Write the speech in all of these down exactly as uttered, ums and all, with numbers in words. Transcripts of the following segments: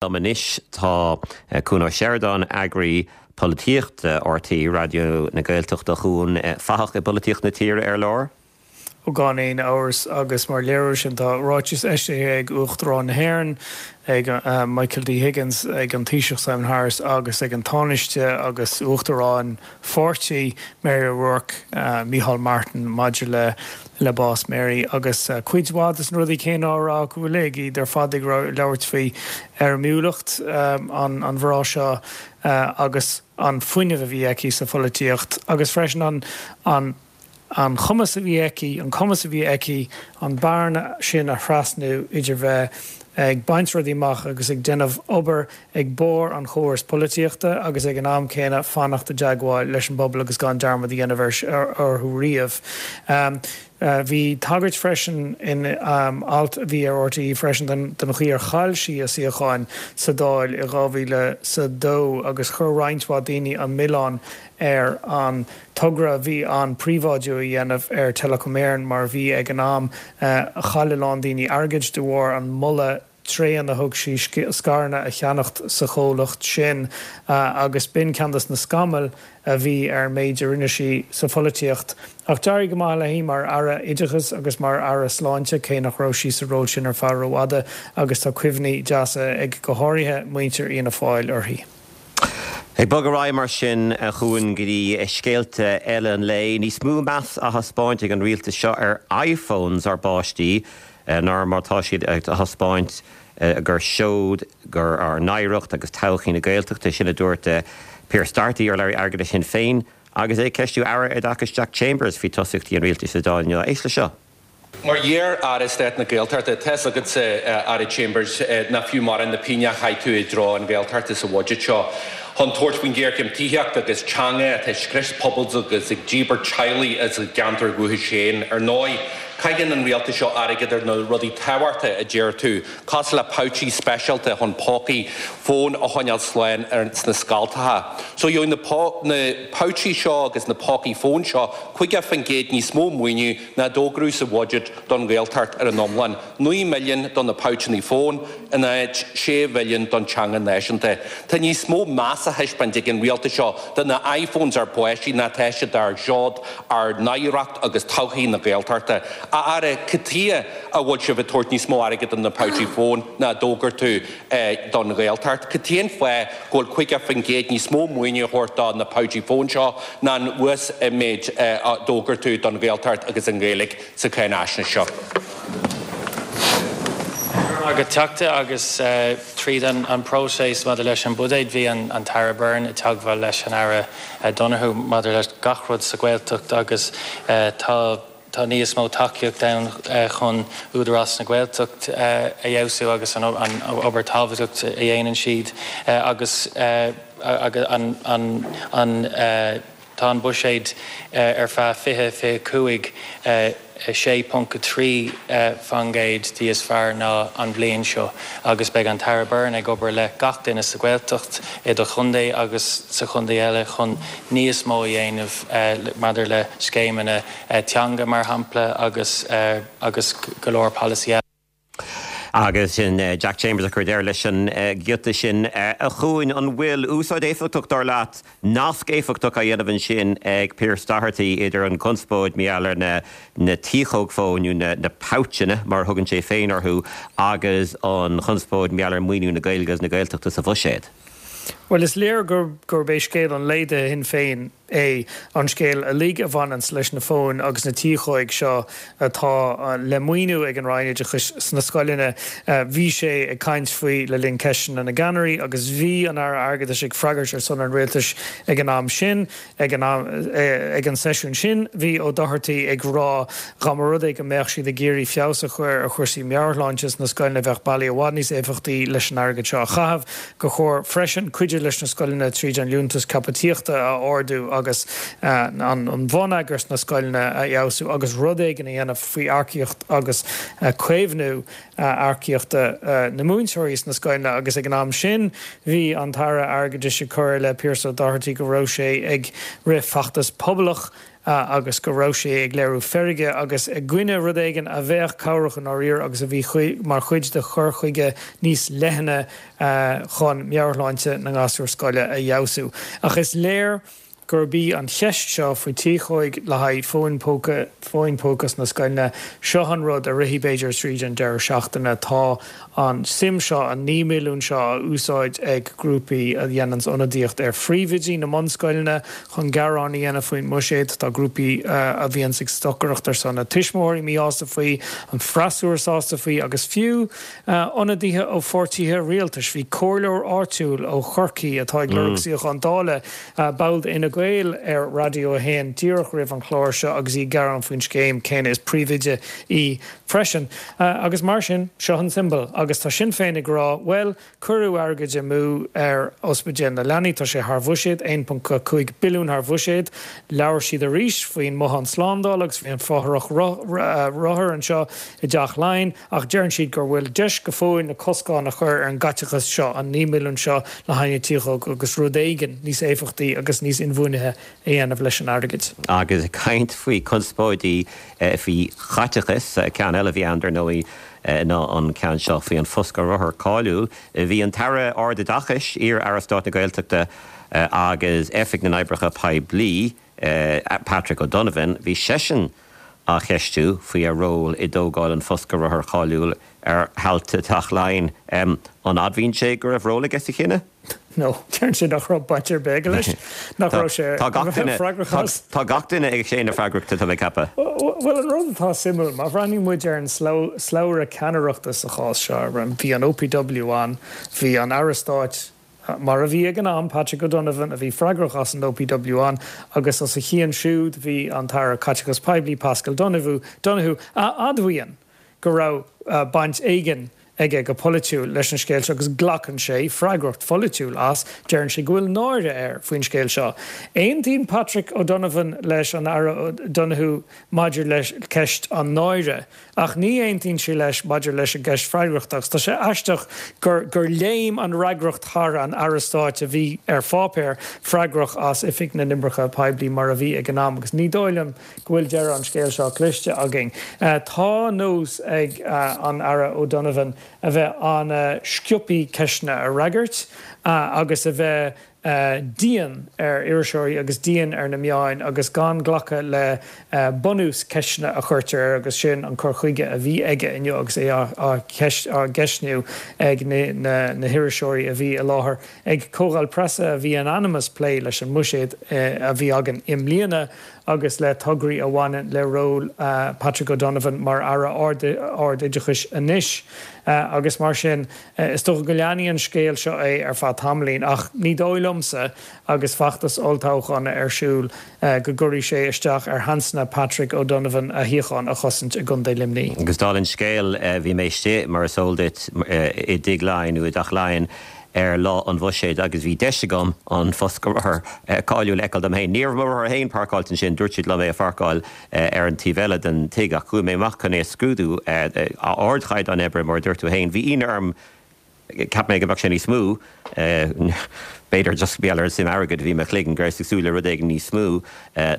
Liom anois tá Cuan Ó Seireadáin, eagraí polaitíochta R T É Raidió na Gaeltachta. Chuan, fathach i bpolaitíocht na tíre ar lár. Ó, gan aon amhras, agus mar léiriú sin tá ráiteas eisithe ag Uachtarán na hÉireann, ag uh, Michael D. Higgins, ag an Taoiseach Simon Harris agus ag an Tánaiste agus Uachtarán Pháirtí Mary O'Rourke, uh, Micheál Martin, maidir le le bás Mary, agus uh, cuid mhaith des na rudaí céanna á rá go uilig, iad ar fad ag labhairt faoi éirimiúlacht um, an, an mhná seo uh, agus an fuinneamh a bhí aici sa pholaitíocht agus freisin an an an chumas a bhí aici an cumas a bhí aici an bearna sin a thrasnú idir bheith ag baint rudaí amach agus ag déanamh obair ag barr an chórais polaitíochta agus ag an am céanna fanacht i dteagmháil leis an bpobal agus gan dearmad a dhéanamh orthu riamh. Um, Uh, bhí tagairt freisin in um, alt a bhí ar R T É freisin den, den chaoi ar chaill sí a suíochán sa Dáil i dhá mhíle sa dó agus chuir roinnt mhaith daoine an milleán ar an togra bhí an príobháidiú a dhéanamh ar Telecom Éireann mar bhí ag an am uh, chaill a lán daoine airgead de bharr an moladh tréan a thug sí scaireanna a cheannacht sa chomhlacht sin uh, agus b'in ceann des na scamaill a bhí ar méid a rinne sí sa pholaitíocht. Ach d'éirigh go maith léi mar aire oideachais agus mar aire sláinte, cé nach raibh sí sa ról sin ar feadh rófhada, agus tá cuimhní deasa ag go háirithe muintir Fhianna Fáil uirthi. Ag bogadh mar sin chuan go dtí scéalta eile an lae, níos mó meas á thaispeáint ag an rialtas seo ar iPhones ár bpáistí ná mar tá siad ag thaispeáint gur seod gur ár n-oidhreacht agus todhchaí na Gaeltachta. Sin a dúirt Pearse Doherty, urlabhraí airgeadais Shinn Féin, agus é ag ceistiú Aire Oideachais Jack Chambers faoi tosaíochtaí an rialtais sa Dáil inniu. Éist le seo. Mar iar-aire stáit na Gaeltachta, tá a fhios agatsa, Aire Chambers, nach fiú mórán na pingine a chaith tú i dtreo an Ghaeltachta sa bhuiséad seo. Chun tabhairt faoin ghéarchéim tithíochta agus teanga atá ag scrios pobal agus ag díbirt teaghlaigh as a gceantar dúchais féin. Ar ndóigh, caitheann an rialtas seo airgead ar na rudaí tábhachtacha a deir tú, cosúil le pouchí speisialta chun pócaí fón a choinneáil slán ar sna scoltacha. So gheobhaidh na, na pouchí seo agus na pócaí fón seo caoga faoin gcéad níos mó maoiniú ná a d'fhógraíodh sa bhuiséad don Ghaeltacht ar an iomlán. naoi milliún don na pouchanna fón in áit sé mhilliún don teanga náisiúnta. Tá níos mó meas á thaispeáint ag an rialtas seo do na iPhones ár bpáistí ná tá siad dár seod, ár n-oidhreacht agus todhchaí na Gaeltachta. A Aire, cad chuige a bhfuil sibh ag tabhairt níos mó airgead don na pouchí fón ná a d'fhógair tú eh, don Ghaeltacht? Cad é an fáth go bhfuil caoga faoin gcéad níos mó maoiniú á thabhairt do na pouchí fón seo ná an uasmhéid eh, a d'fhógair tú don Ghaeltacht agus an Ghaeilge sa cháinaisnéis seo? Agus Teachta, agus uh, tríd an, an próiseas maidir leis an buiséad, bhí an, an tAire Byrne i dteagmháil leis an Aire uh, Donohoe maidir leis gach rud sa Ghaeltacht agus uh, tá tá níos mó tacaíocht ann uh, chun Údarás na Gaeltacht uh, a fheabhsú agus an, an obair tábhachtach a dhéanann siad uh, agus uh, agus an, an, an uh, tá an buiséad uh, ar feadh fiche fiche cúig uh, sé ponc trí faoin gcéad níos fearr ná an bhliain seo, agus beidh an tAire Byrne ag obair le gach duine sa Ghaeltacht i do chontae agus sa chontae eile chun níos mó a dhéanamh uh, maidir le scéimeanna uh, teanga mar shampla agus uh, agus go leor polasaí. Agus sin uh, Jack Chambers a chur deireadh leis an uh, giota sin. uh, a Chuain, an bhfuil úsáid éifeachtach, dar leat, nasc éifeachtach á dhéanamh ansin ag Pearse Doherty idir an conspóid maidir leis na na tiachóg fóin nó na, na pouchanna mar thugann sé féin orthu agus an chonspóid maidir le maoiniú na Gaeilge agus na Gaeltachta sa bhuiséad? Well, is léir gur gur bé scéal an lae do Shinn Féin é an scéal uilig a bhaineann leis na fóin agus na tiachóig seo atá le maoiniú ag an Roinn Oideachais sna scoileanna. Bhí sé ag caint faoi le linn ceisteanna na gceannairí agus bhí an Aire Airgeadais ag freagairt ar son an rialtais ag an am sin. ag an, am, ag an seisiún sin bhí Ó Dochartaigh ag rá dá mba rud é go mbeadh siad ag iarraidh feabhas a chur ar chúrsaí meabhairshláinte na scoileanna, bheadh bealaí i bhfad níos éifeachtaí leis an airgead seo a chaitheamh, gur chóir freisin cuidiú leis na scoileanna tríd an liúntas caipitíochta a ardú agus uh, an, an bonneagar sna scoileanna a fheabhsú agus rud éigin a dhéanamh faoi earcaíocht agus uh, caomhnú uh, earcaíochta uh, na múinteoirí sna scoileanna. Agus ag an am sin bhí an tAire Airgeadais ag cur le Pearse Doherty go raibh sé ag rith feachtas poblach. agus go raibh sé ag léiriú feirge agus i gcoinne rud éigin a bheadh cabhrach i ndáiríre agus a bhí mar chuid de chur chuige níos leithne chun meabhairshláinte na ngasúr scoile a fheabhsú. Ach is léir gurb í an cheist seo faoi tiachóig le haghaidh fóin póca fóin póca sna scoileanna seo an rud a rithfidh b'fhéidir tríd an deireadh seachtaine tá an suim seo an naoi milliún seo á úsáid ag grúpaí a dhéananns ionadaíocht ar phríomhoidí na mbunscoileanna chun gearán a dhéanamh faoin mbuiséad tá grúpaí a bhíonns ag stocaireacht ar son na tuismitheoirí míshásta faoi an freasúra sásta faoi agus fiú ionadaithe ó pháirtithe rialtais bhí comhairleoir áitiúil ó Chorcaigh atá ag lorg suíochán Dála ball d'Fhine Gael ar Raidió a haon díreach roimh an chlár seo agus í ag gearán faoin scéim céanna is príomhoide í freisin. Agus mar sin seo an tsiombail agus tá Sinn Féin ag rá bhuel cuireadh airgead amú ar ospidéal na leanaí tá sé thar bhuiséad aon ponc cúig billiún thar bhuiséad. Labhair siad arís faoin mbothán slándála agus faoin fothrach rothar anseo i dTeach Laighean ach deireann siad gur bhfuil deis go fóill na coscáin a chur ar an gcaiteachas seo an naoi milliún seo le haghaidh na tiachóg agus rud éigin níos éifeachtaí agus níos inbhuanaithe a dhéanamh leis an airgead. Agus ag caint faoi conspóidí faoi chaiteachas, ceann eile a bhí ann dar ndóigh ná an ceann seo faoi an foscadh rothar cáiliúil. Bhí an tAire Ardoideachais, iar-Aire Stáit na Gaeltachta agus Oifig na nOibreacha Poiblí, Patrick O'Donovan, bhí seisean á cheistiú faoi a ról i dtógáil an foscadh rothar cháiliúil ar thailte Teach Laighean. An admhaíonn sé go raibh ról aige sa chinneadh? No, deireann sé nach raibh baint ar bith aige leis, nach raibh sé freagrach as. Tá gach duine ag séanadh freagrachta, tá mé ag ceapadh. Bhuel, an rud atá suimiúil, má bhreathnaíonn muid ar an slabhra ceannaireachta sa chás seo, bhí an OPW ann, bhí an Aire Stáit, mar a bhí ag an am, Patrick O'Donovan, a bhí freagrach as an OPW ann, agus os a chionn siúd bhí an tAire Caiteachais Poiblí, Paschal Donohoe, a admhaíonn go raibh baint éigin aige go polaitiúil leis an scéal seo agus glacann sé freagracht pholaitiúil as, deireann sé go bhfuil náire air faoin scéal seo. Aontaíonn Patrick O'Donovan leis an Aire Donohoe maidir le ceist an náire ach ní aontaíonn sé leis maidir leis an gceist freagrachta agus tá sé aisteach gur gur léim an fhreagracht thar an Aire Stáit a bhí ar pháipéar freagrach as Oifig na nOibreacha Poiblí mar a bhí ag an am agus ní dóigh liom go bhfuil deireadh an scéil seo cloiste againn. Tá nós ag an Aire O'Donovan a bheith an-sciobtha ceisteanna a fhreagairt agus a bheith dian ar iriseoirí agus dian ar na meáin agus gan glacadh le bunús ceisteanna a chuirtear air agus sin an cur chuige a bhí aige inniu agus é á cheistniú ag na hiriseoirí a bhí i láthair ag comhdháil preasa a bhí in ainm is plé leis an mbuiséad a bhí againn i mbliana agus le tograí a bhaineann le ról Patrick O'Donovan mar Aire Ard-Oideachais anois agus mar sin is dócha go leanfaidh an scéal seo é ar feadh tamaillín ach ní dóigh liomsa agus feachtas olltoghcháin ar siúl go gcuirfidh sé isteach ar sheansanna Patrick O'Donovan a shuíochán a chosaint i gContae Luimnigh. Agus dála an scéil bhí mé istigh, mar is eol duit, i dTigh Laighean nó i dTeach Laighean ar lá an bhuiséid agus bhí deis agam an foscadh rothar cáiliúil a fheiceáil dom féin. Ní raibh mo rothar féin páirceáilte ansin, dúirt siad liom é a pháirceáil ar an taobh eile den tigh ach chuaigh mé amach chun é a scrúdú. Ardchaighdeán oibre, mar a dúirt tú féin. Bhí ionadh orm. Cheap mé go mbeadh sé níos mó, b'fhéidir just mar gheall ar an suim airgid a bhí i mo chloigeann, go rabhas ag súil le rud éigin níos mó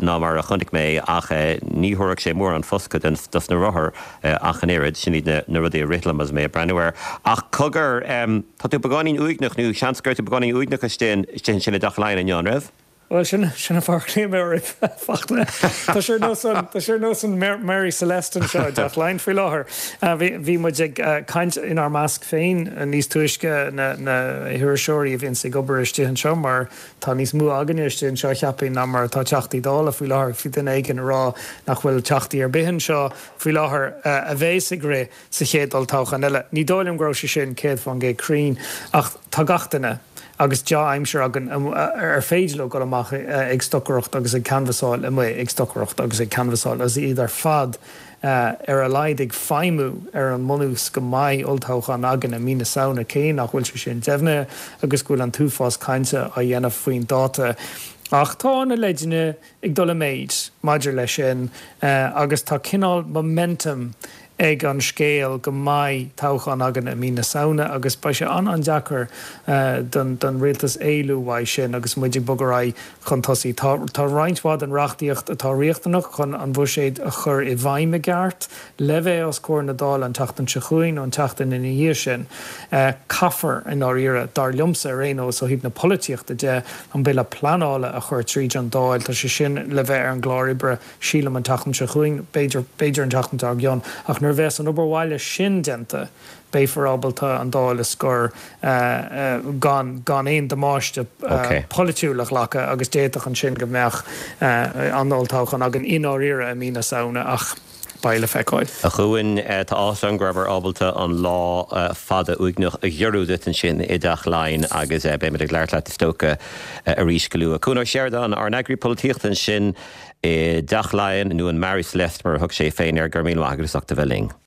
ná mar a chonaic mé ach ní thabharfadh sé mórán foscadh dos na rothair ach an oiread. Sin iad na rudaí a rith liom agus mé ag breathnú air. Ach cogar, tá tú beagáinín uaigneach nó seans go raibh tú beagáinín uaigneach istigh ansin i dTeach Laighean inniu, an raibh? Bhuel, sin sin an fáth ar ghlaoigh mé oraibh, a Fachtna. Tá sé ar nós an, tá sé ar nós an Mary Celeste anseo i dTeach Laighean faoi láthair. Bhí, bhí muid ag caint inár measc féin níos túisce, na, na hiriseoirí a bhíonns ag obair istigh anseo, mar tá níos mó againne istigh anseo, cheapfainn, ná mar atá Teachtaí Dála faoi láthair. Bhí duine éigin ag rá nach bhfuil Teachtaí ar bith anseo faoi láthair a bheas ag rith sa chéad olltoghchán eile. Ní dóigh liom go raibh sé sin céad faoin gcéad cruinn, ach tá gach duine, agus dea-aimsir againn ar féidir leo dul amach ag stocaireacht agus ag canbhasáil amuigh ag stocaireacht agus ag canbhasáil agus iad ar fad ar a laghad ag feidhmiú ar an mbunús go mbeidh olltoghchán againn i mí na Samhna cé nach bhfuil sé sin deimhnithe agus go bhfuil an t-uafás cainte á dhéanamh faoin dáta. Ach tá na leideanna ag dul i méid maidir leis sin agus tá cineál momentum ag an scéal go mbeidh toghchán againn i mí na Samhna agus beidh sé an-an-deacair don don rialtas éalú uaidh sin agus muid ag bogadh ar aghaidh chun tosaigh. Tá tá roinnt mhaith den reachtaíocht atá riachtanach chun an bhuiséad a chur i bhfeidhm i gceart le bheith os comhair na Dála an tseachtain seo chugainn nó an tseachtain ina dhiaidh sin. Caithfear i ndáiríre, dar liomsa ar aon nós ó thaobh na polaitíochta de, an bille pleanála a chur tríd an Dáil. Tá sé sin le bheith ar an gclár oibre sílim an tseachtain seo chugainn, b'fhéidir b'fhéidir an tseachtain dár gcionn, ach nuair a bheas an obair bhaile sin déanta, beifear ábalta an Dáil a scor gan gan aon damáiste polaitiúil a ghlacadh agus d'fhéadfadh ansin go mbeadh an olltoghchán againn i ndáiríre i mí na Samhna ach beidh le feiceáil. A Chuain, tá áthas orm go rabhamar ábalta an lá fada uaigneach a ghiorrú duit ansin i dTeach Laighean agus beimid ag labhairt leat is dócha arís go luath. Cuan Ó Seireadáin, ár n-eagraí polaitíochta ansin i dTeach Laighean, nó an Marie Celeste mar a thug sé féin air, go raibh míle maith agat as ucht a bheith linn.